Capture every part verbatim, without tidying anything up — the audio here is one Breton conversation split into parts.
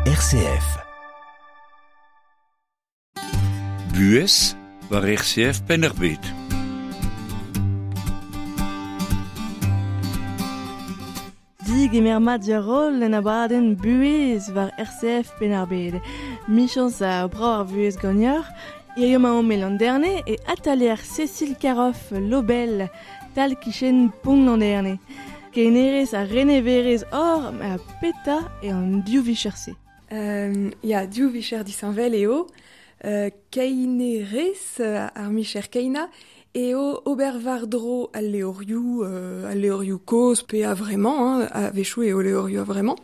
R C F. Buhez war R C F Penn-ar-Bed. Dig emer mat diarol en abadenn Buhez war R C F Penn-ar-Bed. Michans a bra ar vuhez gagnor, hirio ma omp e Landerne e atalier Cécile Caroff Lobel, tal kichen pont Landerne. Kenerez a reneverez or a peta e an div vicher-se. Euh, ya, div vicher disheñvel eo. Euh, keinerez ar micher keina eo ober war-dro al leorioù, euh, al leorioù kozh pe a vraiment, hein, a-wechoù eo leorioù a vraiment.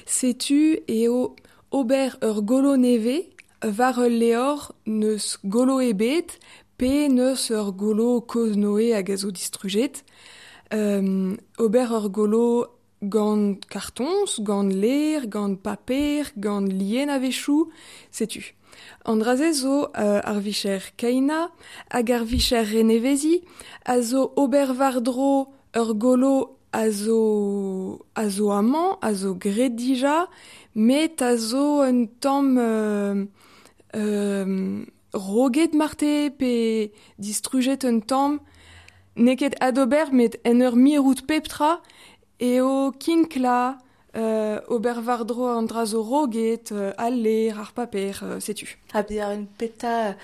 Setu eo ober ur golo neve war ul leor neus golo ebet pe neus ur golo kozh noe hag a zo distrujet. Euh, ober ur golo gant kartons, gant ler, gant paper, gant lien a-wechoù, setu. An draze zo euh, ar vicher keina hag ar vicher renevezi a zo ober war-dro ur golo a zo, a zo amañ, a zo graet dija, met a zo un tamm euh, euh, roget marte pe distrujet un tamm. N'eo ket adober met en ur mirout pep tra eo kinkla euh, ober war-dro an dra zo roget, euh, al ler, ar paper, euh, setu. Ha pe ar un peta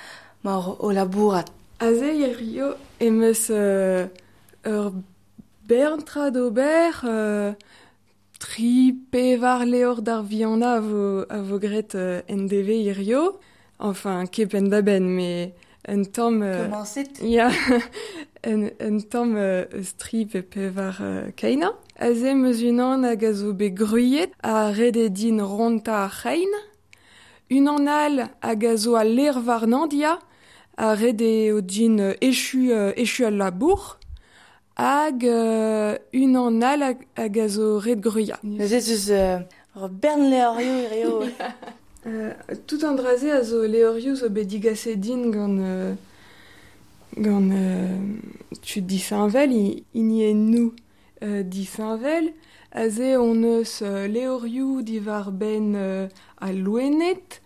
mar o labourat. Aze hirio em eus euh, ur bern tra d'ober, euh, tri pevar leor d'ar viana a vo, a vo graet euh, en D V hirio. Enfin, ket penn da benn, mais un tamm... Euh, Komañset? Ya, un, un tamm euh, eus tri pe pevar euh, keina. Aze em eus unan hag a zo bet gruilhet a ret eo din ronta ar c'hein. Unan all hag a zo al ler warnañ dia a ret eo din echu, euh, echu al labour. Hag euh, unan all hag, hag a zo ret gruilhañ. Neuze ez eus euh, ur bern leorioù hirio. Euh, tout an draze a zo leorioù zo bet digaset din gant, euh, gant, euh, tud disheñvel, i-, hiniennoù, euh, disheñvel. Aze on eus, euh, leorioù diwar benn, euh, al loened,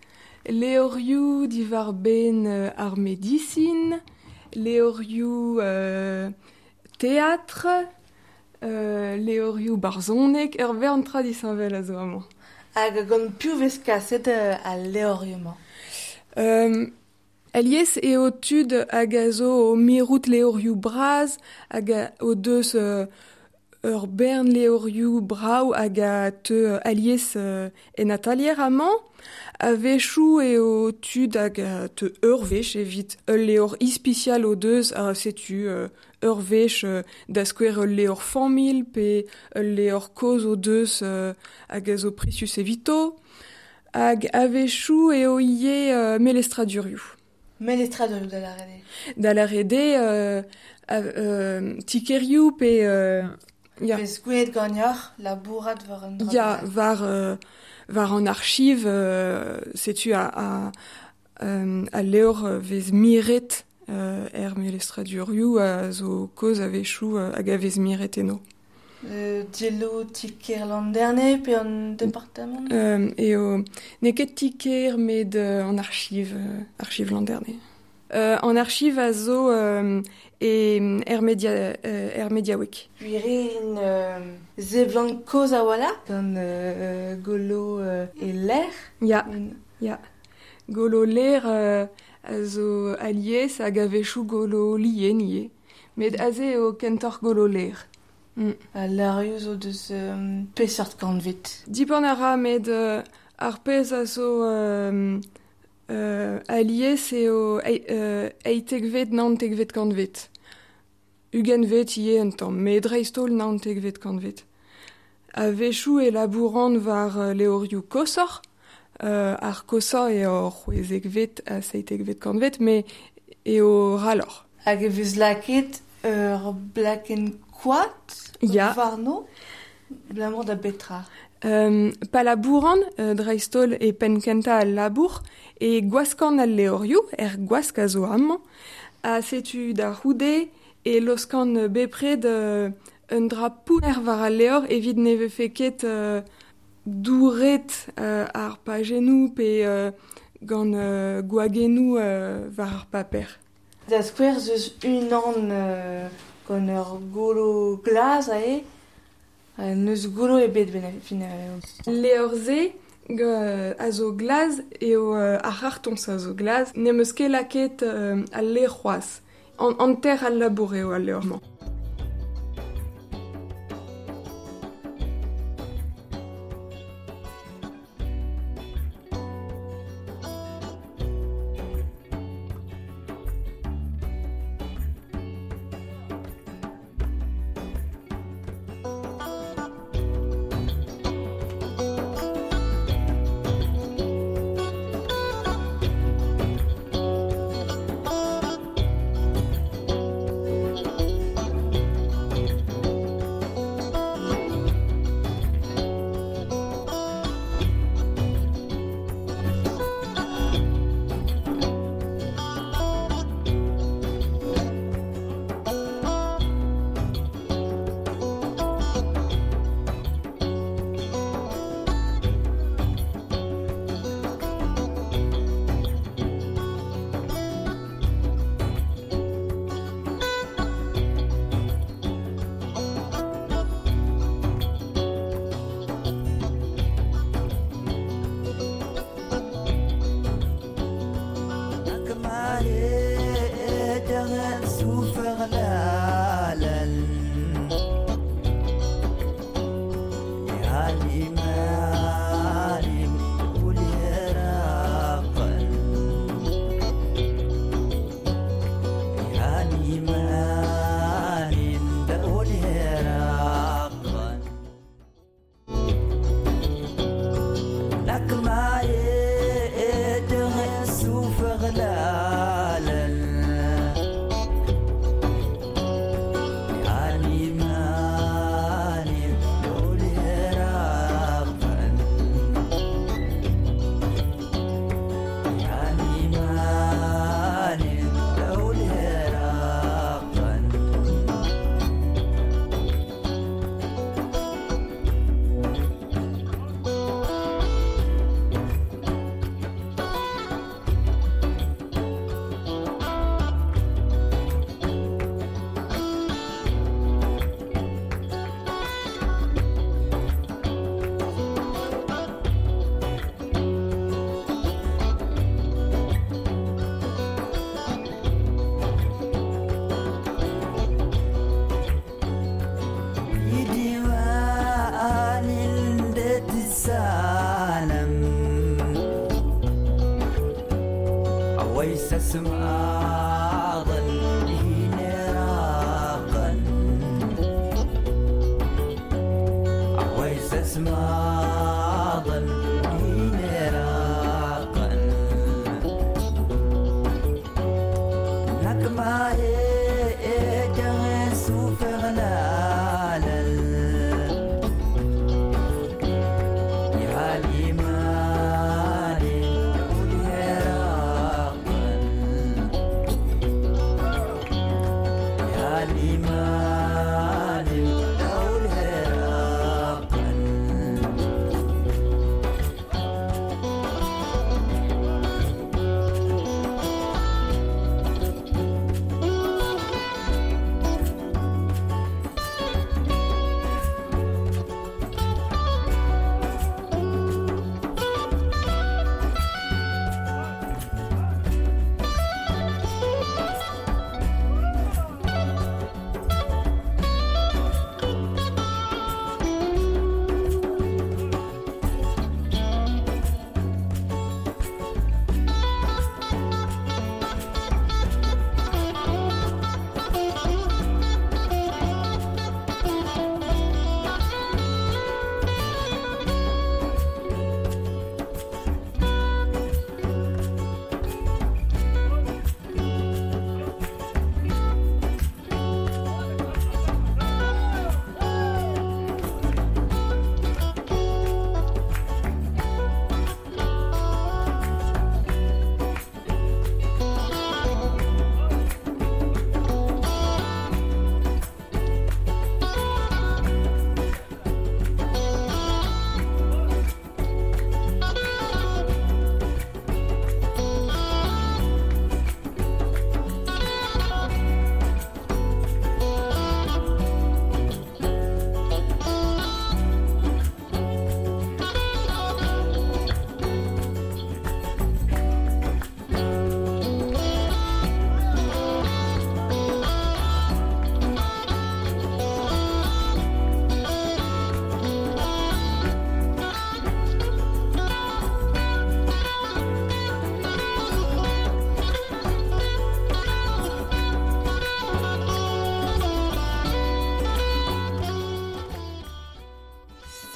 leorioù diwar benn, euh, ar medisin, leorioù, euh, théâtre, euh, leorioù barzhonek, ur bern tra disheñvel a zo amañ. Hag gant piv vez kaset, euh, al leorioù-mañ? Euh, alies eo tud hag a zo o mirout leorioù bras, hag a o deus, euh, ur bern leorioù brav hag a teu, euh, alies, euh, en atalier amañ. A-wechoù eo tud hag a teu ur wech evit ul leor ispisial o deus, a setu, euh, ur wech, euh, da skouer ul leor familh pe ul leor kozh o deus, euh, hag a zo prisius evito. Hag a-wechoù eo ivez, euh, melestradurioù. Melestradurioù da lâret eo? Da lâret eo, euh, a, euh, tikerioù pe, euh, ya. Vez gwelet ganeoc'h labourat war an dra Ya, bennak. war, euh, war an archiv, euh, setu a, a, euh, a leor vez miret, euh, er melestradurioù a zo kozh a-wechoù, euh, hag a vez miret eno. Euh, diello tiker Landerne pe an departamant? Euh, eo, n'eo ket tiker met, euh, an archiv, euh, archiv Landerne. Euh, an archiv a zo, euh, e er media, euh, er mediaoueg. Gwir eo, euh, zeblant kozh a-walc'h gant, euh, golo, euh, e ler. Ya, Un- ya. Golo ler, euh, a zo alies hag a-wechoù golo lien ivez. Met aze eo kentoc'h golo ler. Mm. Ha leurioù zo deus, euh, peseurt kantved? Dipant a ra, met, euh, ar pezh a zo, euh, euh, alies eo ei-, euh, eitekvet, naontekvet kantved. Ugentvet ivez un tamm, met dreist-holl naontekvet kantved. A-wechoù e labouran war, euh, levrioù koshoc'h, euh, ar koshañ eo c'hwezekvet ha seitekvet kantved, met eo raloc'h. Hag e vez lakaet ur blakenn koad Ya. warno, abalamour da betra? Euh, pa labouran, euh, dreist-holl e penn kentañ al labour, e gwaskan al levrioù, er gwask a zo amañ, ha setu da c'houde e loskan bepred, euh, un dra pounner war al levr evit ne vefe ket, euh, douret euh, ar pajennoù pe euh, gant euh, gwagennoù euh, war ar paper. Da skouer zeus unan euh, gant ur golo glas ae, neus golo ebet ben fin. Levr-se a zo glaz eo euh, ar c'hartoñs a zo glaz, n'em eus ket lakaet euh, al levr c'hoazh. An hanter al labour eo al levr-mañ. Yeah.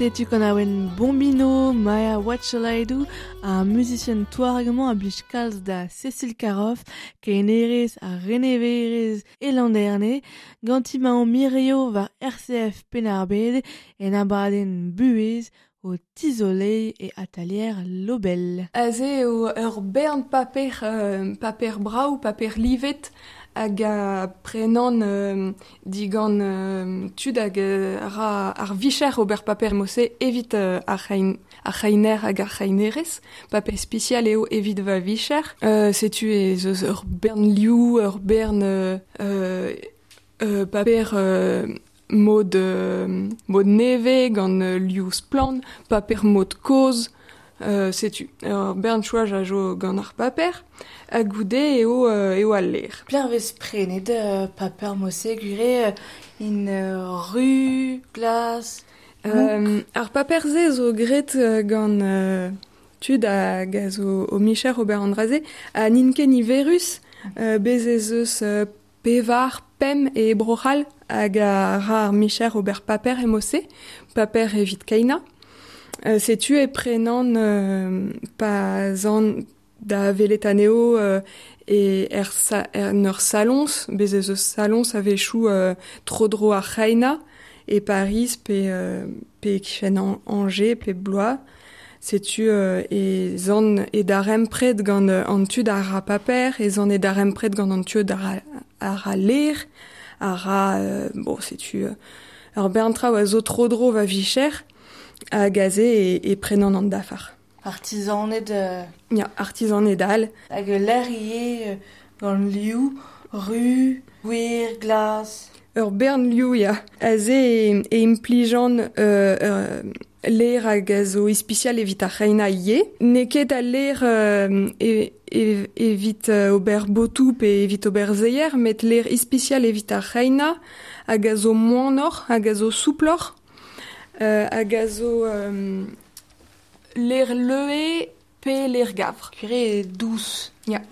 Setu gant awen Bombino, Maya Watchalaidou, ar musicien touargement a blij kalz da Cécile Caroff, kenerez ha reneverez e Landerne, ganti maon mirio war R C F Penn-ar-Bed en abadenn buhez o tizolei e atalier Lobel. Aze eo ur bern paper, euh, paper brau, paper livet, hag a prenan euh, digant euh, tud hag euh, ra ar vicher ober paper mose evit euh, ar c'hein, ar c'heiner hag ar c'heinerez, paper spécial eo evit va vicher. Euh, setu ez eus ur bern liou, ur bern euh, euh, paper euh, mod, euh, mod neve gant euh, liou splan, paper mod koz, euh, setu. Ur bern chouaj a jo gant ar paper, hag goude eo, euh, eo al ler. Plein vez prenet euh, paper mose gure in euh, ru, glas, euh, ar paper ze zo gret gant euh, tud hag a zo o micher Robert Andraze, a n'int ket niverus, euh, bez ez eus euh, pevar, pem e brochal hag a ra ar micher Robert Paper e mose, paper evit keina. Euh, setu e prenan euh, pa zan da veletaneo euh, e er, sa, er neur salons, bez ez eus salons a vechou euh, tro dro ar c'heina e Paris pe, euh, pe kichen an, Angers pe Blois. Setu euh, e zan e darem pred gant an tud ar ra paper, e zan e darem pred gant an tud ar, ar ra ler, ar ra, euh, bon, setu euh, ur bern traoù a zo tro dro va vicher, hag aze e, e prenan an dafar. Artisaned... Euh... Ya, artisaned all. Hag l'air ie gant liou, ru, gwir, glas... Ur bern liou, ya. Aze e, e implijan euh, euh, l'air hag a zo ispicial evit ar c'heina ie. N'eo ket al l'air euh, e, e, evit euh, ober botou pe evit ober zeier, met l'air ispicial evit ar c'heina hag a zo moanoc'h, hag a zo souploc'h, euh, hag a zo euh, l'air leue pe l'air gavr. Curé douce. Ya.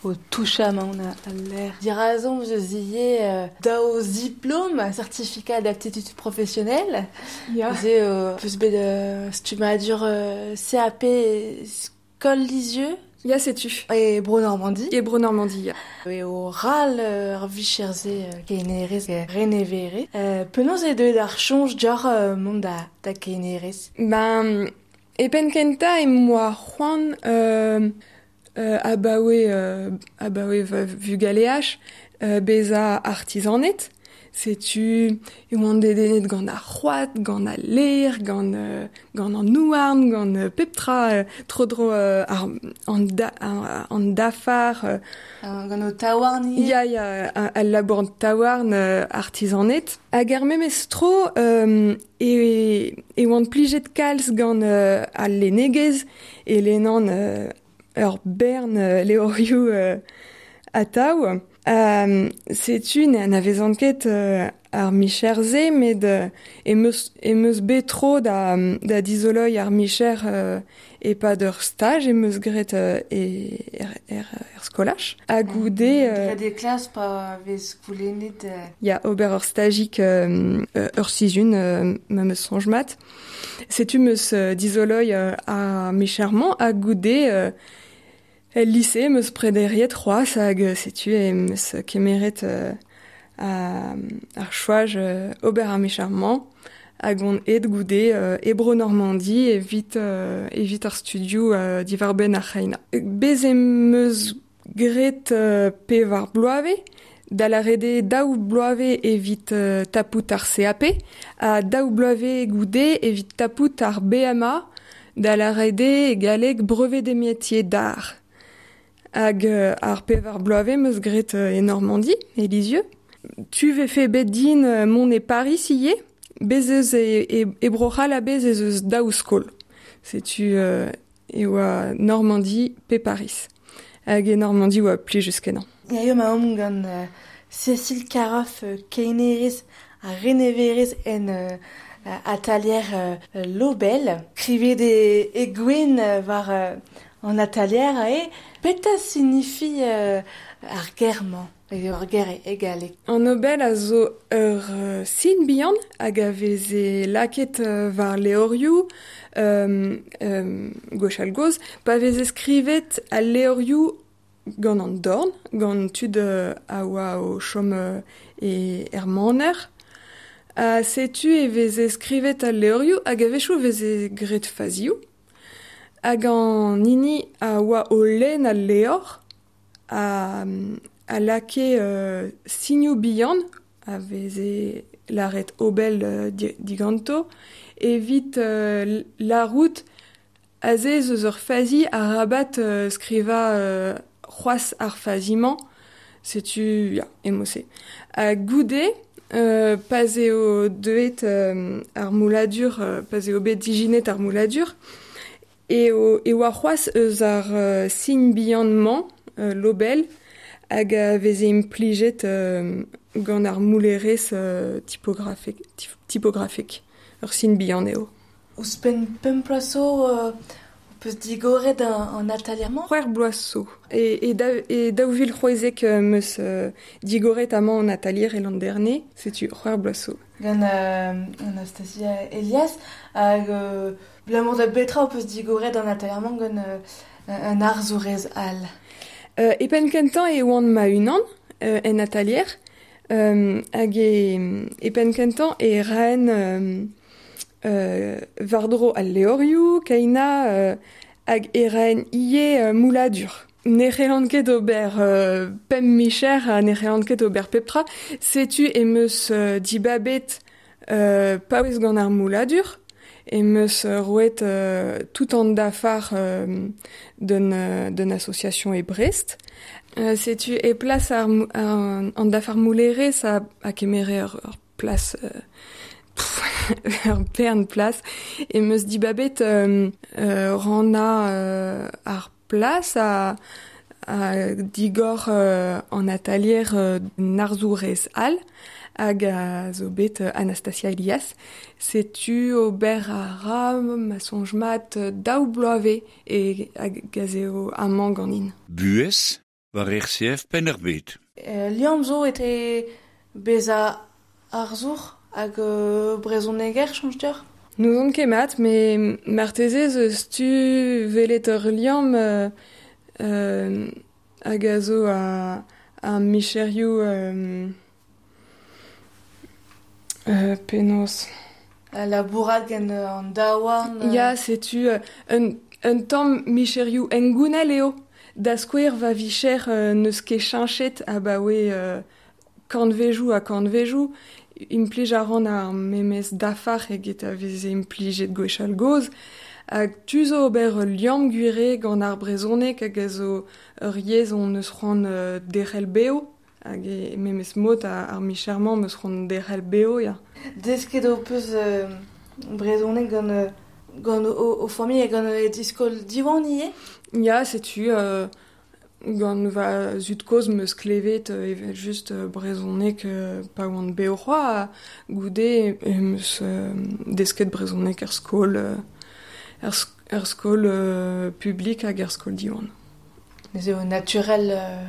O toucha ma on a l'air. Dirazon je ziye euh, dao diplôme, certificat d'aptitude professionnelle. Ya. Ze euh, peus bet euh, stumadur euh, C A P Skol Lisieux. Ya, setu. E Bro Normandie. E Bro Normandie, ya. E o ral ur vicherze kenerez renevere. Euh, penaos e deuet ar chonj dioc'h euh, mont da, da kenerez? Ben, e penn kentañ e moa c'hoant euh, euh, abaoe, euh, abaoe va vugaleaj, euh, beza artisanet. Setu e oan dedennet gant ar c'hoad, gant al ler, gant, euh, gant an nouarn, gant euh, pep tra euh, tro dro euh, ar, an, da, ar, an dafar. Euh, gant o taouarn ivez. Ya, ya, al labour an taouarn euh, artisanet. Hag ar memes tro euh, e, e oan plijet kalz gant euh, al lennegez e lennan euh, ur bern euh, levrioù euh, atav. Euh, setu na vezan ket euh, ar micher-ze, met euh, em eus, em eus bet tro da, da dizoloi ar micher euh, e-pad ur staj em eus graet euh, e, er, er, er skolaj. Ha goude... Euh, des klas pa vez goulennet... Euh... Ya, ober ur stajik euh, ur sizun, euh, ma meus soñj mat. Setu meus euh, dizoloi euh, ar micher-mañ ha goude... Euh, El lycée meus prederiet c'hoazh hag setu e meus kemeret euh, a, ar choaj euh, ober ar micher-mañ hag on aet goude euh, e Bro Normandie evit, euh, evit ar studio euh, diwar-benn ar c'heina. Bez em eus graet euh, pevar bloavezh, da lâret eo daou bloavezh evit euh, tapout ar C A P, ha daou bloavezh goude evit tapout ar B M A, da lâret eo e galleg brevet des métiers d'art. Hag euh, ar pevar bloavezh meus graet euh, e Normandie, e Lisieux. Tu vefe bet din euh, mont e Paris ivez, bez eus e, e, e Bro-C'hall a bez ez eus daou skol. Setu euh, e oa Normandie pe Paris. Hag e Normandie oa plijus kenañ. Ya eo ma omp gant euh, Cécile Caroff euh, kenerez ha reneverez en euh, atalier euh, Lobel. Krivet e, e gwen euh, war euh, an atalier e petra signifie euh, ar ger-mañ? Ur ger e galleg. An obel a zo ur uh, sin bihan hag a veze laket uh, war leorioù um, um, gwechall goz, pa veze skrivet al leorioù gant an dorn, gant tud uh, a oa o chom uh, e er maner. Ha setu e veze skrivet al leorioù hag a wechoù veze graet fazioù. Hag an hini a oa o lenn al leor a, a lake euh, signoù bihan a veze laret obel euh, diganto evit euh, larout aze eus ur fazi a rabat euh, skriva euh, c'hoazh ar fazimañ, setu ya, emose. Ha goude, euh, pa'z eo deuet euh, ar mouladur, euh, pa'z eo bet dijinet ar mouladur, eo, e oa c'hoazh eus ar euh, sign bihan-mañ, euh, l'obel, hag a veze implijet euh, gant ar moulerez euh, typografek, typografek, ur sin bihan eo. Ouzhpenn pemp bloaz zo euh, peus digoret an, an atalier-mañ? C'hwec'h bloaz zo. E, e, da, e daou vil c'hwezek meus euh, digoret amañ an atalier e Landerne, setu c'hwec'h bloaz zo. Gant euh, Anastasia Elias, hag euh, blamour da betra peus digoret an atalier-mañ gant euh, un arzourez all. Euh, e penn kentañ e oan ma-unan euh, en atalier, euh, hag e, e penn kentañ e raen euh, euh, war-dro al leorioù, kaina euh, hag e raen ivez euh, mouladur. Ne c'hellan ket ober euh, pemp micher ha ne c'hellan ket ober pep tra, setu em eus euh, dibabet euh, paouez gant ar mouladur, em eus roet euh, tout an dafar euh, d'un, euh, d'un association e Brest. Euh, setu e plas ar, ar, an dafar moulerez a, a kemere ur, ur plas... Euh, ur bern plas. Em eus dibabet euh, euh, ranna euh, ar plas a, a digor euh, an atalier euh, narzourez all hag a zo bet Anastasia Elias. Setu ober a ra ma soñj mat daou bloavezh e hag a eo amañ ganin. Buhez war R C F Penn-ar-Bed. Euh, liamm zo etre bezañ arzour hag euh, brezhoneger, soñj deoc'h? N'ouzon ket mat, met marteze eus tu welet ur liamm euh, euh, hag a zo a, a micherioù euh, Euh, penaos. Labourat gant an daouarn. Euh... Ya, setu euh, un, un tamm micherioù hengounel eo. Da skouer va vicher euh, n'eus ket cheñchet abaoe euh, kantvejoù ha kantvejoù. Implij a ran ar memes dafar eget a veze implijet gwechall gozh. Hag tu zo ober ul liamm gwire gant ar brezhoneg hag a zo ur yezh on eus c'hoant euh, derc'hel bev. Hag e memes mod ar, ar micher-mañ meus c'hoant derc'hel bev, ya. Desket ho peus euh, brezhoneg gant, euh, gant o, o familh hag gant e diskol Diwan ivez? Ya, setu euh, gant va zud-kozh meus klevet euh, evel just euh, brezhoneg euh, pa oan bev c'hoazh, ha goude e meus euh, desket brezhoneg er skol, euh, er, er skol euh, publik hag er skol Diwan. Ez eo naturel euh,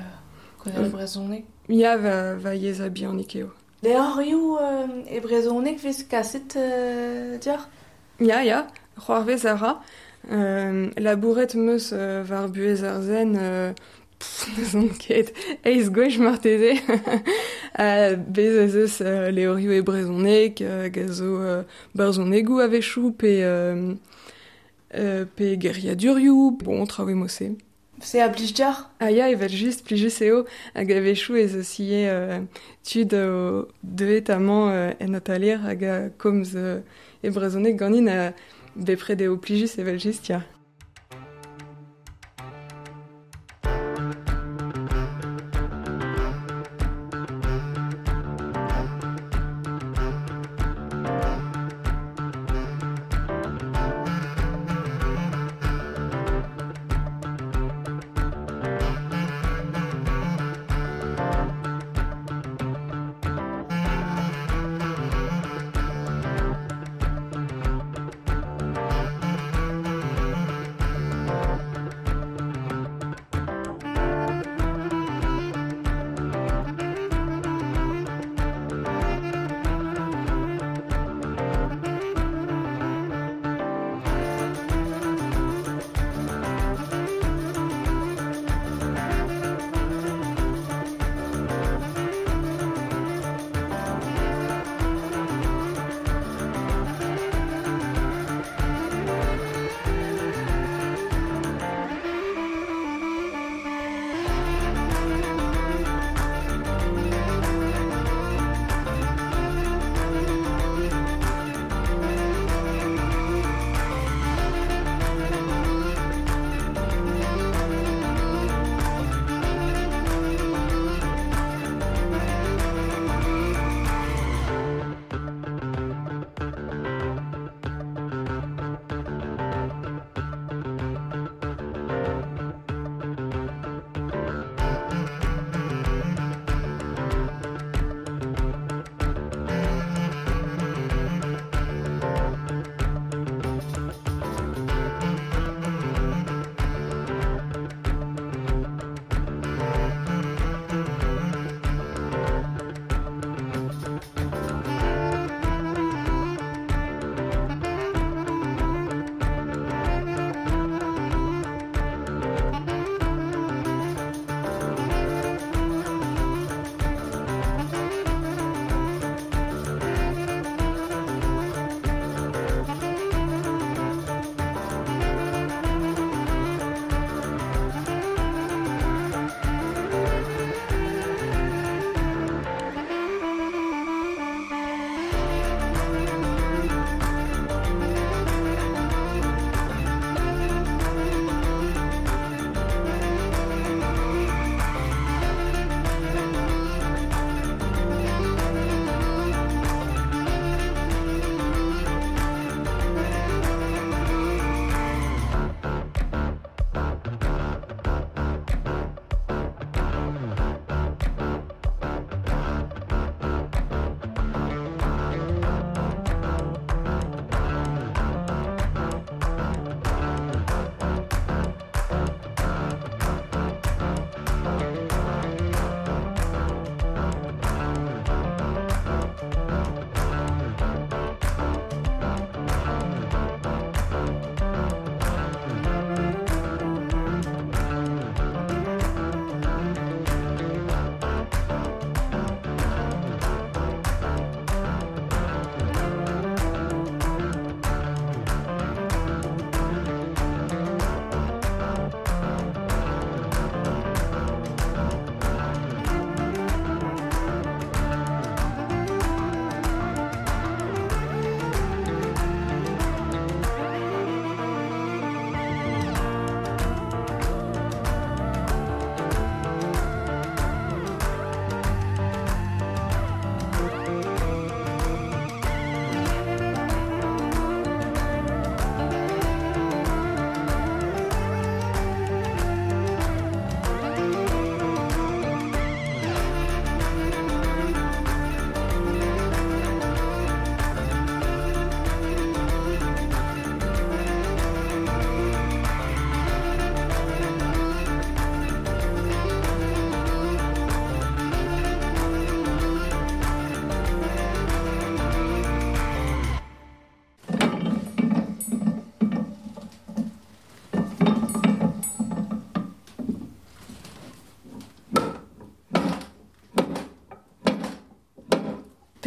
gant ar brezhoneg? Ya, va, va yezh a bihanik eo. Leorioù euh, e brezhoneg vez kaset euh, deoc'h? Ya, ya, c'hoarvez a ra. Euh, labouret meus euh, war buhez ar zen, euh, pff, n'ouzon ket, eizh gwech marteze. uh, bez ez eus euh, leorioù e brezhoneg, hag a zo euh, barzhonegoù a-wechoù, pe, euh, euh, pe geriadurioù, bon, traoù e-mod-se. Se a blij deoc'h? Ah ya, evel just, plijus eo, hag a-wechoù ez eus ivez euh, tud o deuet amañ euh, en atalier hag a komz euh, e brezhoneg ganin a bepred eo plijus evel just, ya.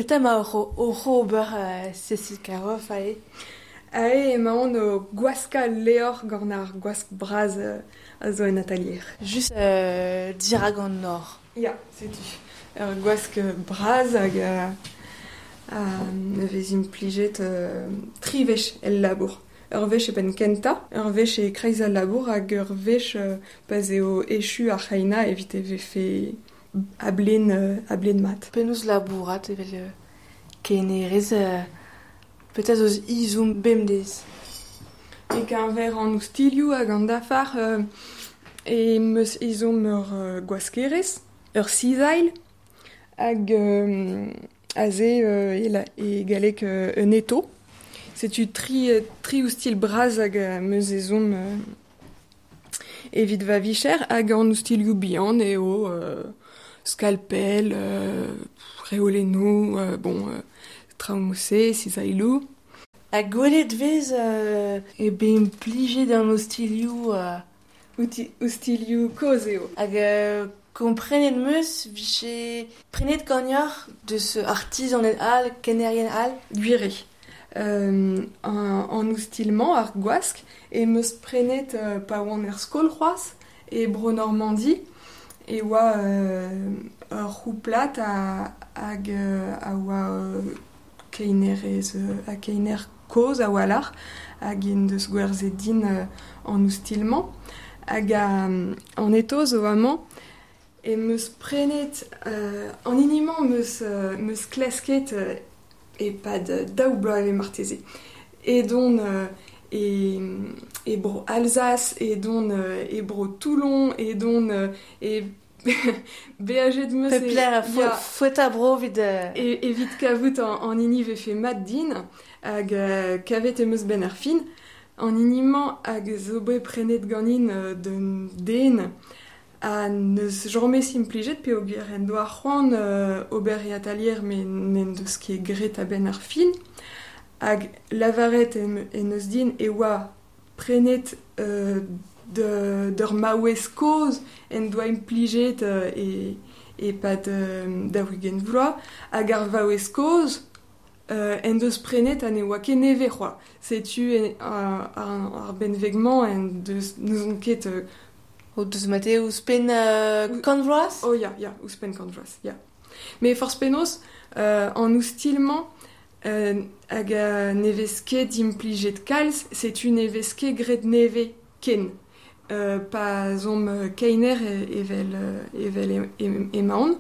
Petra ma oc'h oc'h ober uh, Cécile Caroff ae? Ae emaon o gwaska leor gant ar gwask braz uh, a zo en atalier. Just euh, dirak an nor. Ya, setu. Ur gwask braz hag uh, uh, vez implijet uh, tri wech el labour. Ur wech e penn kenta, ur wech e kreiz al labour hag ur wech uh, pa'z eo echu ar c'heina evit e vefe a blen, uh, a blen mat. Penaos labourat evel uh, kenerez uh, peut-être eus izoum bemdez. E keñver an oustilioù hag an dafar euh, e meus izoum ur euh, gwaskerez, ur sizail, hag euh, aze euh, e, la, e galleg euh, un eto. Setu tri, tri oustil braz hag euh, meus ezomm euh, evit va vicher hag an oustilioù bihan eo euh, scalpel, euh, reolennoù, euh, bon, euh, traoù-se, sizailou. Ha gwelet vez euh, e bet implijet an ostilioù... Euh... Outi, ostilioù kozh eo. Hag euh, komprenet meus viche prenet gagnoc'h deus artizaned all, kenerien all. Gwir eo. Euh, an, an oustilmañ ar gwask e meus prenet euh, pa oan er skol c'hoazh e Bro-Normandi e oa euh, ur c'houplat a, hag euh, a oa euh, keinerez euh, ha keiner kozh a walc'h hag en deus gwerzhet din euh, an oustilmañ hag a, an eto zo amañ e meus prenet euh, an hini-mañ meus, euh, meus klasket euh, e-pad daou bloaz eo marteze. Edon euh, e, e bro Alsace, edon euh, e bro Toulon, edon euh, e beajet meus e... Pepler fouet a bro evit... E, evit kavout an, an hini vefe mat din hag euh, kavet em eus ben ar fin. An hini-mañ hag zo bet prenet ganin euh, d'un den ha neus james implijet peogwir en doa c'hoant euh, ober e atalier met n'en deus ket graet a-benn ar fin. Hag lavaret en, en eus din e oa prenet euh, de, d'ur maouez kozh en doa implijet euh, e, e-pad euh, daou-ugent vloaz hag ar vaouez kozh euh, en deus prenet ha ne oa ket nevez c'hoazh. Setu en, ar, ar benveg-mañ en deus n'ouzon ket euh, O deus mate ouzhpenn euh, kant vloaz? Oh ya, ya, ouzhpenn kant vloaz, ya. Mais forzh penaos, euh, an oustilmañ euh, hag euh, ne vez ket implijet kalz, setu ne vez ket graet nevez ken. Euh, pa zomp keiner evel, evel emaon,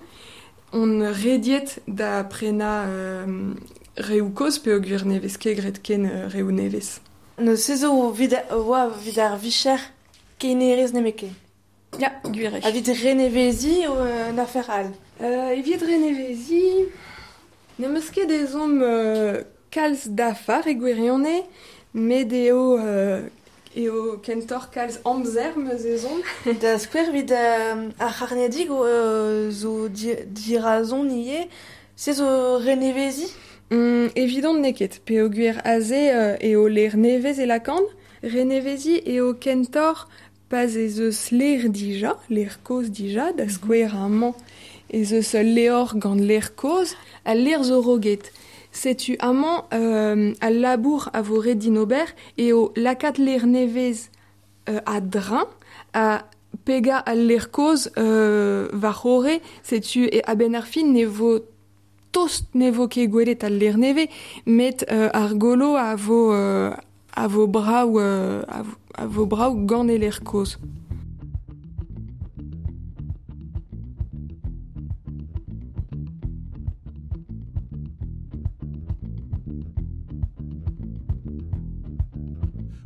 on rediet da prenañ euh, reoù kozh peogwir ne vez ket graet ken reoù nevez. Neuze se zo evit oa evit ar vicher kenerez nemetken. Ya, gwir eo. Evit reneveziñ o un afer all. Euh, evit reneveziñ, n'em eus ket ezhomm euh, kalz dafar e gwirionez, met eo, euh, eo kentoc'h kalz amzer meus ezhomm. Da skouer evit euh, ar c'harnedig euh, zo di, dirazon ivez, se zo reneveziñ? Mm, evidon n'eo ket, peogwir aze euh, eo ler nevez e lakan. Reneveziñ eo kentoc'h pa'z ez eus ler dija, ler kozh dija, da skouer amañ ez eus ul levr gant ler kozh, al ler zo roget. Setu amañ euh, al labour a vo ret din ober eo lakaat ler nevez euh, a-dreñv, ha pegañ al ler kozh euh, war c'horre, setu e a-benn ar fin ne vo tost ne vo ket gwelet al ler nevez, met euh, ar golo a vo, euh, a vo brav, euh, a vo, a vo brav gant e ler kozh.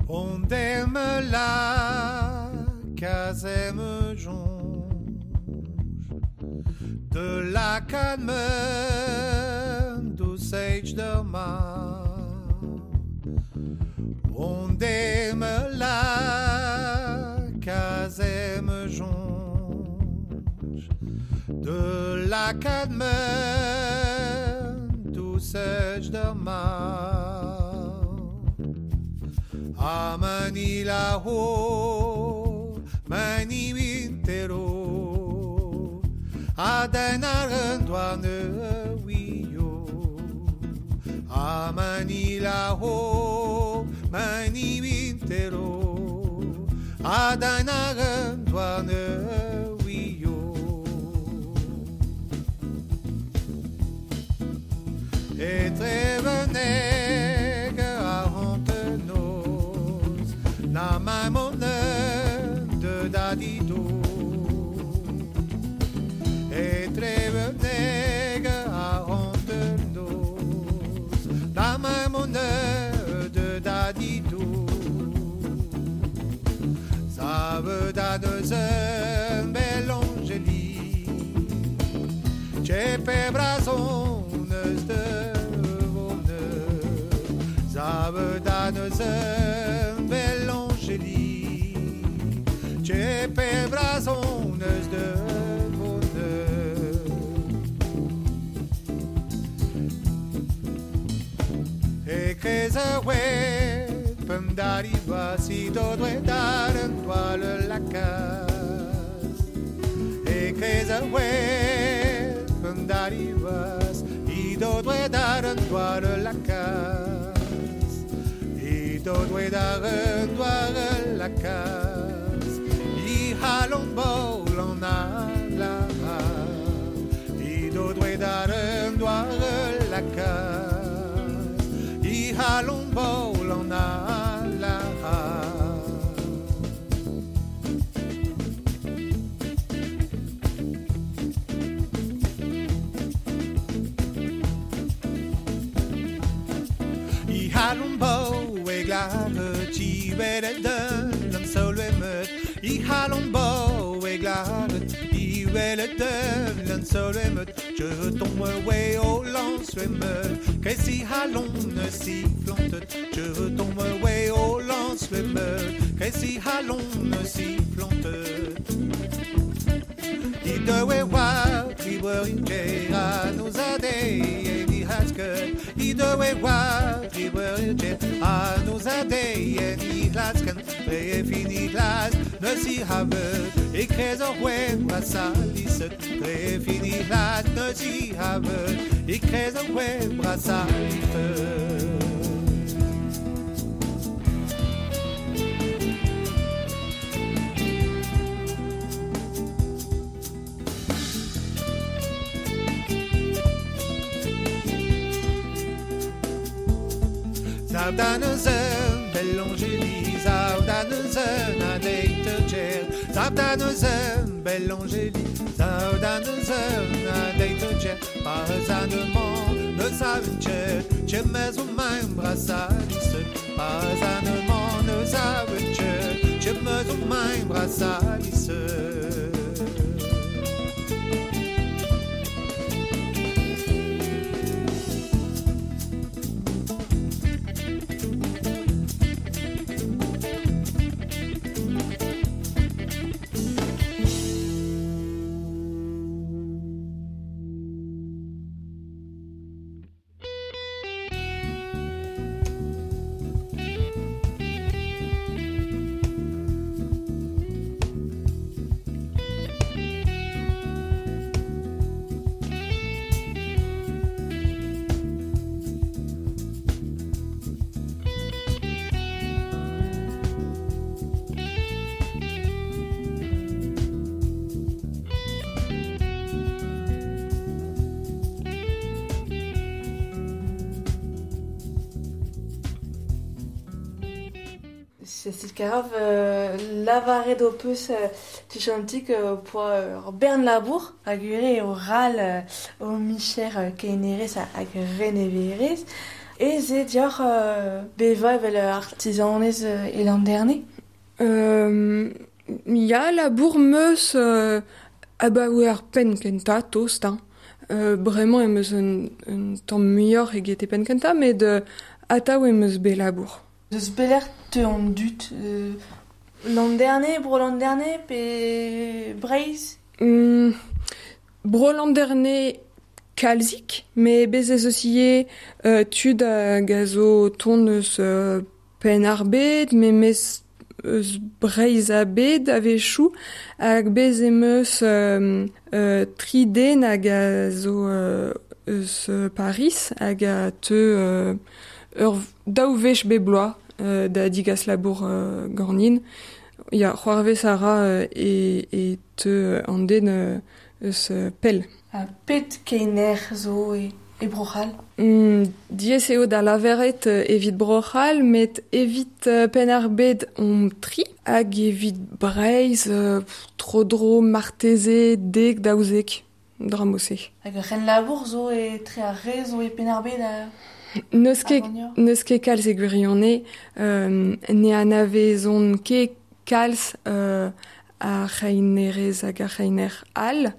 On aime la casème jonge de la calme douce de mar. On aime la casème jonge de la calme douce de mar. Amanila ho, mani wintero, adenarendwane wio. A Manila ho, mani wintero, a danaren doane wio. E treveneg a hontenoz, na mamone de dadido. E treveneg a hontenoz, na mamone de dadido. Zave da neuzen belangeli, chepe brazon de vonne. Zave da neuzen belangeli, chepe brazon de vonne. E krez a we p'm si dodwe daren toile la kas. E krez a we p'm darivas, i dodwe daren toile la kas. I dodwe daren toile la kas. I halon bol an a la. I dodwe daren toile la kas. I halon bol an a la. I halon bo e glare ti welet den an sol emet. I halon bo e glare i welet den an sol emet. Je tombe we o lans emet. Kresi halon ne si flantet. Je tombe we o lans emet. Kresi halon ne si flantet. I dewe wa triwer in a nous ade e ni hasken. I dewe wa triwer in a nous ade e ni hasken. Tre fini glas ne si havet. E krez o hwen brasaliset. Tre fini glas ne si havet. E krez o hwen brasaliset. Zavdaneuzen, Bellangeli, Zavdaneuzen, a deite ger. Zavdaneuzen, Bellangeli, Zavdaneuzen, a deite ger. Pazanement, ne savent cher, chemez o main brasaliset. Pazanement, ne savent cher, chemez o main brasaliset. Cécile Caroff, euh, lavaret d'o peus euh, tuchantik euh, poa euh, bern labour hag ure o ral euh, o micher euh, keinerez hag reneverez. E ze dioc'h euh, beva evel artisanez euh, e l'an dernier. Euh, ya labour meus euh, abaoe ar penn kenta tost, hein. Euh, bremañ em eus un, un tamm muioc'h eget e penn kenta, met euh, atav em eus bet labour. Deus beler te an dut euh, l'an dernier, bro l'an dernier, pe Breizh? Mm, bro l'an dernier kalzik, met bez ez eus ivez euh, tud hag a zo tont eus euh, penn ar bed, memes eus Breizh a bed a-wechoù, hag bez em eus euh, euh, tri den hag a zo euh, eus Paris hag a teu euh, ur daou wech be bloaz euh, da digas labour euh, ganin. Ya, c'hoarvez a ra euh, e, e teu an den euh, eus pell. Ha pet keiner zo e, e Bro-C'hall? Mm, diaes eo da laveret evit Bro-C'hall, met evit uh, Penn-ar-Bed omp tri, hag evit Breizh uh, tro-dro marteze dek daouzek dra-mod-se. Hag ur c'henlabour zo e tre ar re zo e Penn-ar-Bed a... N'eus ket, n'eus ket kalz e gwirionez, euh, ne anavezont ket kalz euh, ar c'heinerez hag ar c'heiner all,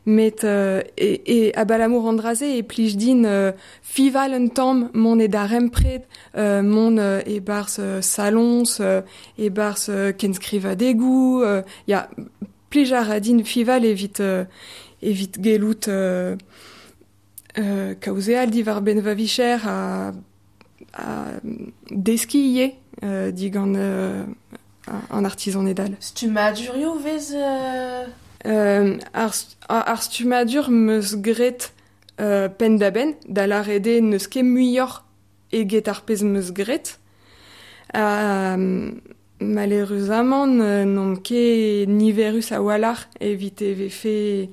met euh, e, e abalamour an dra-se e plij din euh, fival un tamm mont e darempred, euh, mont euh, e barzh euh, salons, euh, e barzh euh, kenskrivadegoù, euh, ya, plij a ra din fival evit, euh, evit gellout euh, euh, kaozeal diwar benn va vicher a, a deskiñ ivez euh, digant euh, an artisan edal. Stummadurioù vez euh... Euh, ar, ar stummadur meus graet euh, penn-da-benn, da lâret eo n'eus ket muioc'h eget ar pezh meus graet. Euh, malheureusement, n'omp ket niverus a-walc'h evit e vefe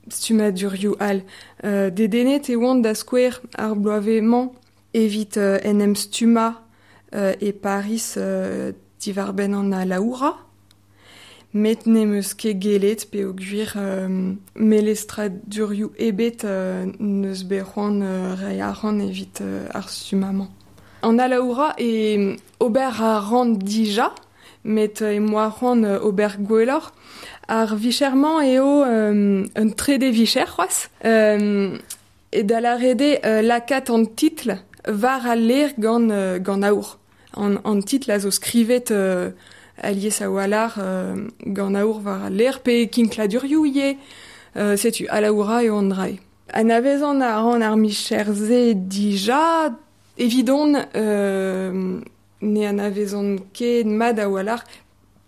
stummadurioù all. Euh, dedennet e oan da skouer ar bloavezh-mañ evit euh, en em stummañ euh, e Paris euh, diwar-benn an alaoura, met n'em eus ket gellet peogwir euh, melestradurioù ebet euh, n'eus bet c'hoant euh, reiñ arc'hant evit euh, ar stummañ. An alaoura e ober a ran dija, met e moa c'hoant ober gwelloc'h. Ar vicher-mañ eo euh, un trede vicher c'hoazh. Euh, e da lâret eo euh, lakaat an titl war al lêr gant, euh, gant aour. An, an titl a zo skrivet euh, alies a-walc'h euh, gant aour war al lêr, pe kinkladurioù ivez, euh, setu alaoura eo an dra-se. Anavezan a ran ar micher-se dija, evidon euh, ne anavezan ket mat a-walc'h,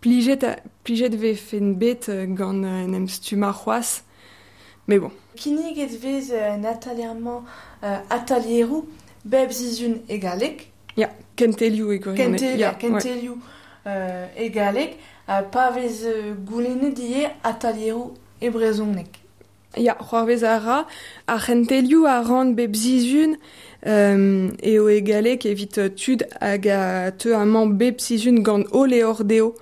plijet, a, plijet vefen bet gant en em stummañ c'hoazh, mais bon. Kinniget vez un atelier-mañ euh, atelieroù bep sizhun e galleg. Ya, kentelioù e gwirionez. Kentel, ya, kentelioù ouais. euh, e galleg, ha pa vez goulennet ivez atelieroù e brezhoneg. Ya, c'hoarvez a ra, ar c'hentelioù a ran bep sizhun euh, eo e galleg evit tud hag a teu amañ bep sizhun gant o levr dezho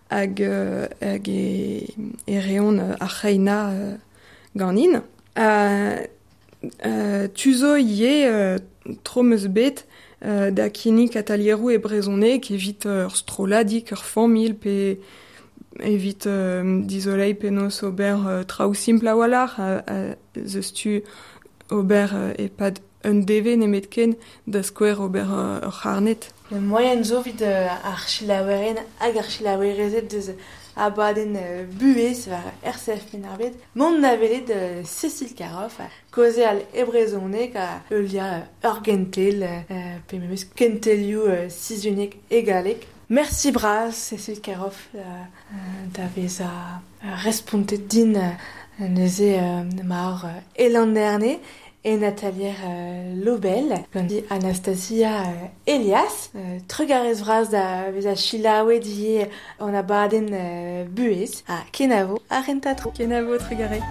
hag, euh, hag e, e reont ar c'heinañ euh, ganin. Euh, euh, tu zo ivez euh, tro meus bet euh, da kinnig atelieroù e brezhoneg evit ur strolladig, ur familh pe evit euh, dizoleiñ penaos ober euh, traoù simpl a-walc'h, a, a, zeus tu ober euh, e-pad un devezh nemetken da skouer ober euh, ur c'harned. Le moyen zo evit euh, ar selaouerien hag ar selaouerezed deus abadenn euh, buhez war R C F Penn-ar-Bed. Mont da welet euh, Cécile Caroff, kaozeal e brezhoneg a heuliañ ur gentel, euh, pe memes kentelioù euh, sizhuniek e galleg. Merci bras, Cécile Caroff, euh, da vezañ respontet din euh, neuze euh, mar euh, Elan Erne e Nathalie euh, Lobel, gant Anastasia euh, Elias, euh, trugarez vras da vezañ selaouet ivez an abadenn euh, buhez, ha kenavo ar rentatro. Kenavo, trugarez.